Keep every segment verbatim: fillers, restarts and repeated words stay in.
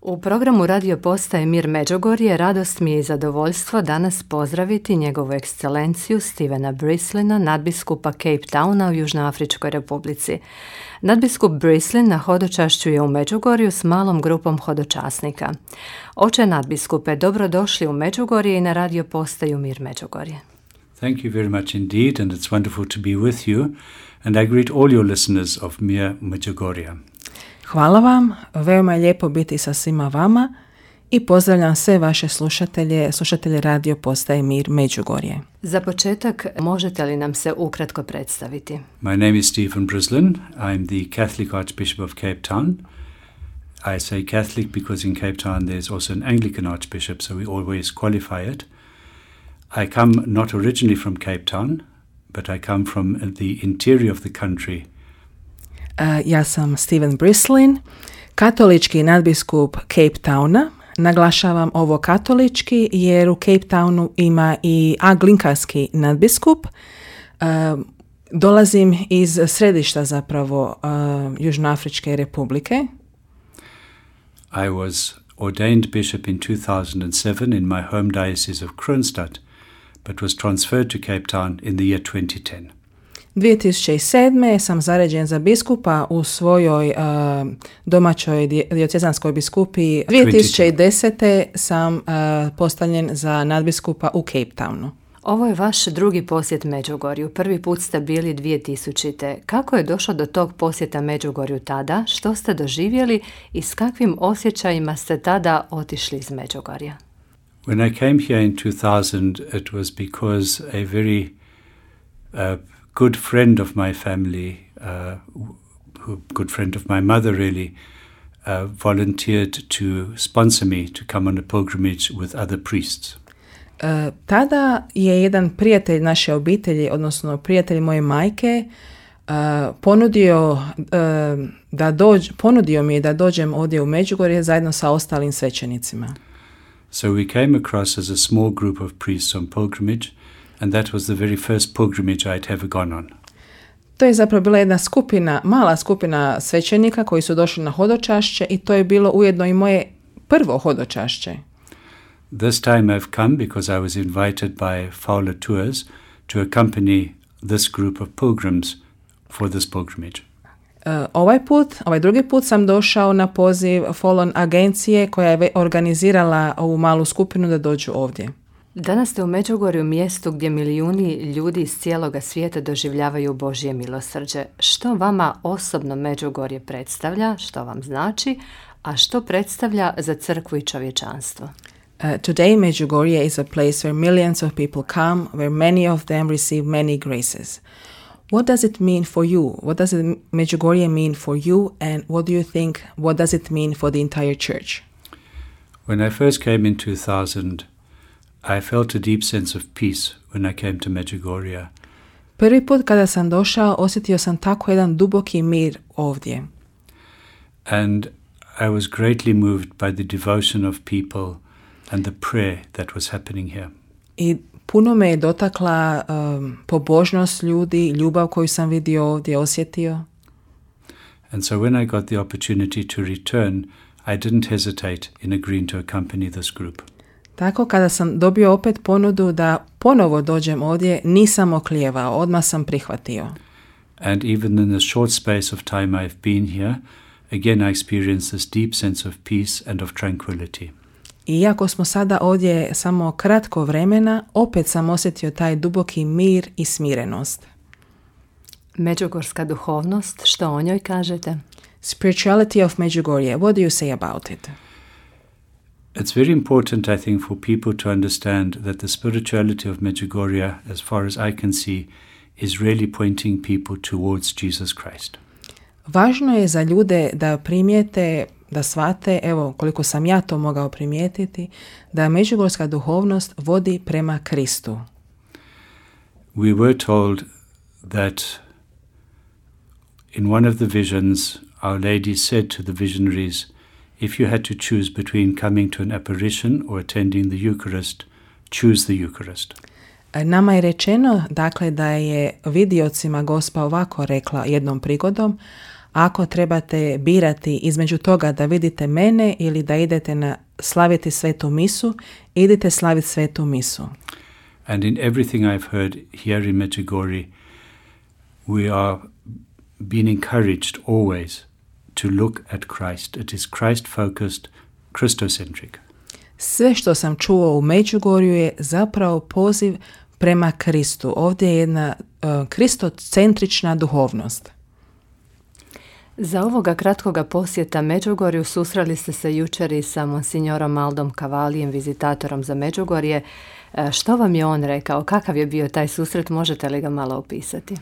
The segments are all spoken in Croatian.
U programu Radio Postaje Mir Međugorje radost mi je i zadovoljstvo danas pozdraviti njegovu ekscelenciju Stevena Brislina, nadbiskupa Cape Towna u Južnoafričkoj Republici. Nadbiskup Brislin na hodočašću je u Međugorju s malom grupom hodočasnika. Oče nadbiskupe, dobrodošli u Međugorje i na Radio Postaju Mir Međugorje. Thank you very much indeed, and it's wonderful to be with you, and I greet all your listeners of Mir Međugorje. Hvala vam, veoma je lijepo biti sa svima vama i pozdravljam sve vaše slušatelje, slušatelje Radio Postaje Mir Međugorje. Za početak, možete li nam se ukratko predstaviti? My name is Stephen Brislin. I'm the Catholic Archbishop of Cape Town. I say Catholic because in Cape Town there's also an Anglican Archbishop, so we always qualify it. I come not originally from Cape Town, but I come from the interior of the country. Uh, ja sam Steven Brislin, katolički nadbiskup Cape Towna. Naglašavam ovo katolički jer u Cape Townu ima i anglikanski nadbiskup. Uh, dolazim iz središta zapravo uh, Južnoafričke Republike. I was ordained bishop in two thousand seven in my home diocese of Kroonstad, but was transferred to Cape Town in the year twenty ten. dvije tisuće sedme. sam zaređen za biskupa u svojoj uh, domaćoj diocezanskoj biskupiji. dvije tisuće desete. sam uh, postavljen za nadbiskupa u Cape Townu. Ovo je vaš drugi posjet Međugorju. Prvi put ste bili dvije tisućite. Kako je došlo do tog posjeta Međugorju tada? Što ste doživjeli i s kakvim osjećajima ste tada otišli iz Međugorja? When I came here in two thousand, it was because a very uh, good friend of my family, uh, who, good friend of my mother really, uh, volunteered to sponsor me to come on a pilgrimage with other priests. Uh, tada je jedan prijatelj naše obitelji, odnosno prijatelj moje majke, uh, ponudio, uh, da dođ, ponudio mi je da dođem ovdje u Međugorje zajedno sa ostalim svećenicima. So we came across as a small group of priests on pilgrimage, and that was the very first pilgrimage I'd ever gone on. To je zapravo bila jedna skupina, mala skupina svećenika koji su došli na hodočašće i to je bilo ujedno i moje prvo hodočašće. This time I've come because I was invited by Fowler Tours to accompany this group of pilgrims for this pilgrimage. Uh, ovaj put, ovaj drugi put sam došao na poziv Fowler agencije koja je organizirala ovu malu skupinu da dođu ovdje. Danas ste u Međugorju, mjestu gdje milijuni ljudi iz cijeloga svijeta doživljavaju Božje milosrđe. Što vama osobno Međugorje predstavlja, što vam znači, a što predstavlja za crkvu i čovječanstvo? Uh, today Medjugorje is a place where millions of people come, where many of them receive many graces. What does it mean for you? What does it, Medjugorje mean for you, and what do you think, what does it mean for the entire church? When I first came in two thousand, I felt a deep sense of peace when I came to Medjugorje. Prvi put kada sam došao, osjetio sam tako jedan duboki mir ovdje. And I was greatly moved by the devotion of people and the prayer that was happening here. I puno me je dotakla um, pobožnost ljudi, ljubav koju sam vidio ovdje, osjetio. And so when I got the opportunity to return, I didn't hesitate in agreeing to accompany this group. Tako kada sam dobio opet ponudu da ponovo dođem ovdje, nisam oklijevao, odmah sam prihvatio. And even in the short space of time I've been here, again I experienced this deep sense of peace and of tranquility. Iako smo sada ovdje samo kratko vremena, opet sam osjetio taj duboki mir i smirenost. Međugorska duhovnost, što o njoj kažete? Spirituality of Medjugorje, what do you say about it? It's very important, I think, for people to understand that the spirituality of Medjugorje, as far as I can see, is really pointing people towards Jesus Christ. Važno je za ljude da primijete, da shvate, evo koliko sam ja to mogao primijetiti, da međugorska duhovnost vodi prema Kristu. We were told that in one of the visions, Our Lady said to the visionaries, if you had to choose between coming to an apparition or attending the Eucharist, choose the Eucharist. Nama je rečeno, dakle, da je vidiocima Gospa ovako rekla jednom prigodom, Ako trebate birati između toga da vidite mene ili da idete na slaviti svetu misu, idite slaviti svetu misu. And in everything I've heard here in Medjugorje, we are being encouraged always to look at Christ. It is Christ-focused, Christocentric. Sve što sam čuo u Međugorju je zapravo poziv prema Kristu. Ovdje je jedna uh, kristocentrična duhovnost. Za ovoga kratkoga posjeta Međugorju susreli ste se jučer i sa monsignorom Aldom Cavalijem, vizitatorom za Međugorje. Što vam je on rekao? Kakav je bio taj susret? Možete li ga malo opisati?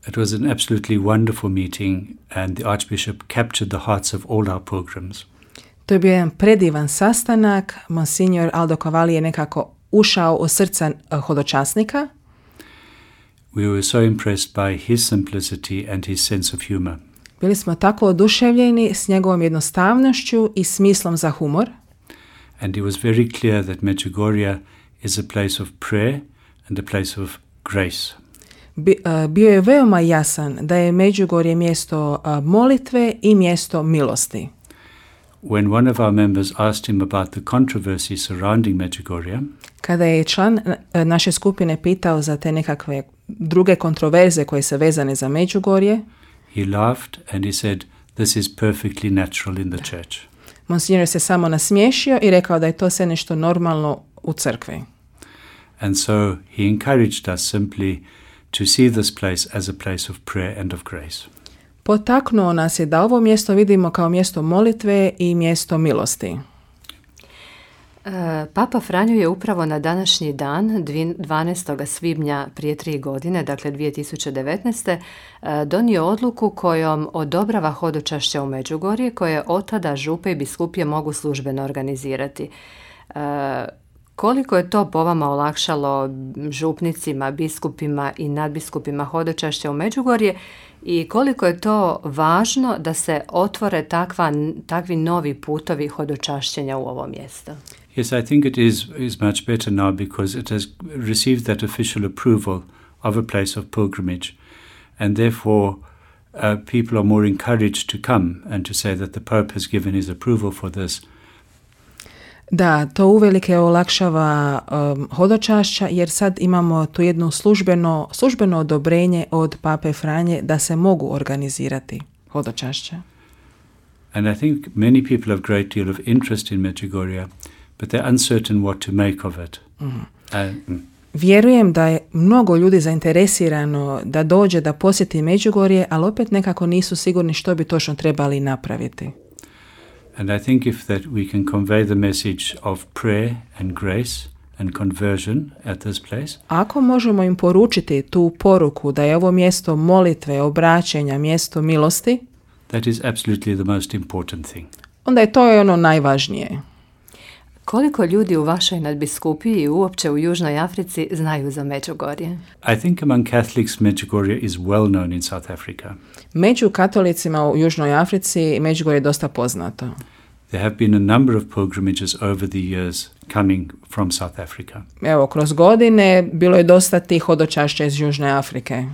It was an absolutely wonderful meeting and the Archbishop captured the hearts of all our pilgrims. To je bio jedan predivan sastanak. Monsignor Aldo Cavalli je nekako ušao u srca hodočasnika. We were so impressed by his simplicity and his sense of humor. Bili smo tako oduševljeni s njegovom jednostavnošću i smislom za humor. And it was very clear that Medjugorje is a place of prayer and a place of grace. Bi, uh, bio je veoma jasan da je Međugorje mjesto uh, molitve i mjesto milosti. When one of our members asked him about the controversy surrounding Medjugorje, kada je član uh, naše skupine pitao za te nekakve druge kontroverze koje se vezane za Međugorje, he laughed and he said, "This is perfectly natural in the church." Monsignor se samo nasmiješio i rekao da je to sve nešto normalno u crkvi. And so he encouraged us simply to see this place as a place of prayer and of grace. Potaknuo nas je da ovo mjesto vidimo kao mjesto molitve i mjesto milosti. Papa Franjo je upravo na današnji dan, dvanaestog svibnja prije tri godine, dakle dvije tisuće devetnaeste. donio odluku kojom odobrava hodočašće u Međugorje, koje od tada župe i biskupije mogu službeno organizirati. Koliko je to po vama olakšalo župnicima, biskupima i nadbiskupima hodočašća u Međugorje i koliko je to važno da se otvore takva, takvi novi putovi hodočašćenja u ovo mjesto? Yes, I think it is, is much better now because it has received that official approval of a place of pilgrimage and therefore uh, people are more encouraged to come and to say that the Pope has given his approval for this. Da, to uvelike olakšava um, hodočašća jer sad imamo tu jedno službeno, službeno odobrenje od Pape Franje da se mogu organizirati hodočašća. And I think many people have great deal of interest in Medjugorje, but they're uncertain what to make of it. Mm. Uh, mm. Vjerujem da je mnogo ljudi zainteresirano da dođe da posjeti Međugorje, ali opet nekako nisu sigurni što bi točno trebali napraviti. And I think if that we can convey the message of prayer and grace and conversion at this place. Ako možemo im poručiti tu poruku da je ovo mjesto molitve, obraćenja, mjesto milosti, that is absolutely the most important thing. Onda je to ono najvažnije. Koliko ljudi u vašoj nadbiskupiji i uopće u Južnoj Africi znaju za Međugorje? I think among Catholics Medjugorje is well known in South Africa. Među katolicima u Južnoj Africi Međugorje je dosta poznato. There have been a number of pilgrimages over the years coming from South Africa. Evo, kroz godine bilo je dosta tih hodočašća iz Južne Afrike.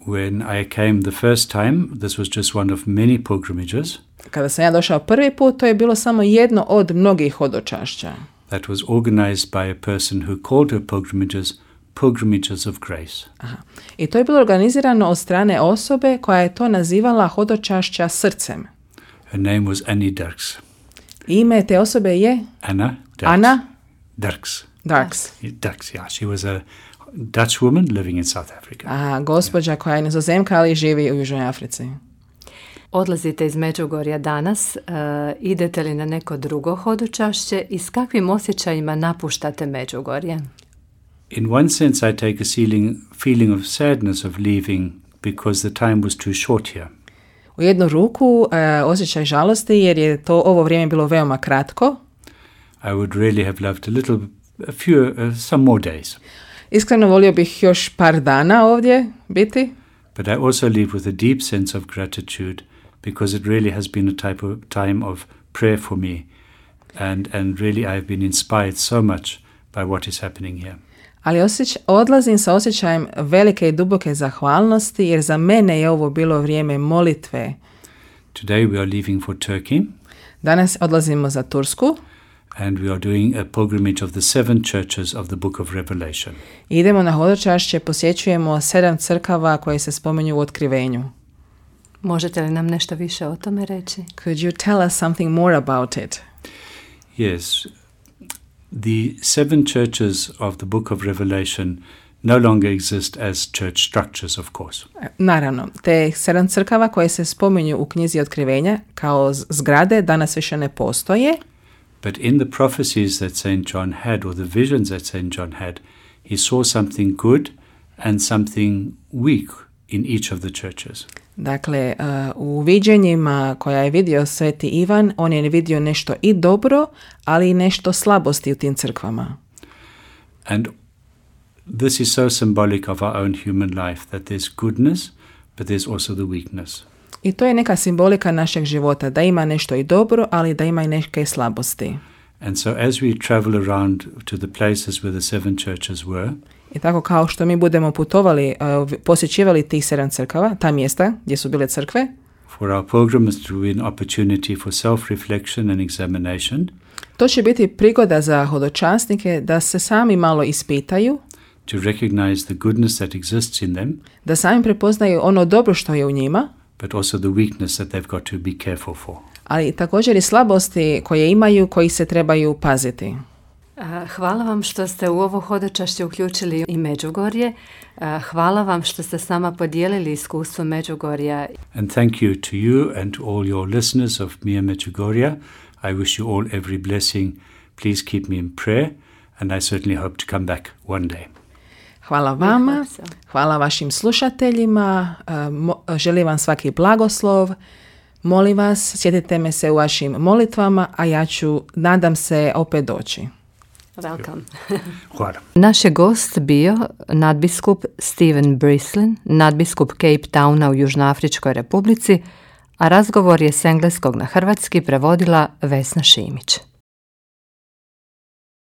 When I came the first time, this was just one of many pilgrimages. Kada sam ja došao prvi put, to je bilo samo jedno od mnogih hodočašća. That was organized by a person who called her pilgrimages pilgrimages of grace. Aha. I to je bilo organizirano od strane osobe koja je to nazivala hodočašća srcem. Her name was Annie Dirks. Ime te osobe je? Anna Dirks. Anna Dirks. Dirks. Dirks, yeah. She was a Dutch woman living in South Africa. Aha, gospođa koja je nizozemka, ali živi u Južnoj Africi. Odlazite iz Međugorja danas, uh, idete li na neko drugo hodočašće i s kakvim osjećajima napuštate Međugorje? In one sense I take a feeling, feeling of sadness of leaving because the time was too short here. U jednu ruku uh, osjećaj žalosti jer je to ovo vrijeme bilo veoma kratko. I would really have loved a little, a few, uh, some more days. Iskreno volio bih još par dana ovdje biti. But I also leave with a deep sense of gratitude because it really has been a type of time of prayer for me and, and really I've been inspired so much by what is happening here. Ali osjeć, odlazim sa osjećajem velike i duboke zahvalnosti, jer za mene je ovo bilo vrijeme molitve. Today we are leaving for Turkey. Danas odlazimo za Tursku. And we are doing a pilgrimage of the seven churches of the book of Revelation. Idemo na hodočašće, posjećujemo sedam crkava koje se spominju u Otkrivenju. Možete li nam nešto više o tome reći? Could you tell us something more about it? Yes. The seven churches of the book of Revelation no longer exist as church structures, of course. Naravno, te sedam crkava koje se spominju u knjizi Otkrivenja kao zgrade danas više ne postoje. But in the prophecies that Saint John had, or the visions that Saint John had, he saw something good and something weak in each of the churches. Dakle, uh, u viđenjima koja je vidio Sveti Ivan, on je vidio nešto i dobro, ali i nešto slabosti u tim crkvama. And this is so symbolic of our own human life, that there's goodness, but there's also the weakness. I to je neka simbolika našeg života, da ima nešto i dobro, ali da ima i neke slabosti. And so as we travel around to the places where the seven churches were, I tako kao što mi budemo putovali, uh, posjećivali tih sedam crkava, ta mjesta gdje su bile crkve, for our pilgrims to be an opportunity for self-reflection and examination, to će biti prigoda za hodočasnike da se sami malo ispitaju, to recognize the goodness that exists in them, da sami prepoznaju ono dobro što je u njima, but also the weakness that they've got to be careful for. ali također i slabosti koje imaju, koji se trebaju paziti. Hvala vam što ste u ovo hodočašće uključili i Međugorje. Hvala vam što ste s nama podijelili iskustvo Međugorja. And thank you to you and to all your listeners of Mia Medjugorje. I wish you all every blessing. Please keep me in prayer, and I certainly hope to come back one day. Hvala vama, hvala vašim slušateljima, želim vam svaki blagoslov. Molim vas, sjetite me se u vašim molitvama, a ja ću, nadam se, opet doći. Welcome. Hvala. Naš je gost bio nadbiskup Stephen Brislin, nadbiskup Cape Towna u Južnoafričkoj Republici, a razgovor je s engleskog na hrvatski prevodila Vesna Šimić.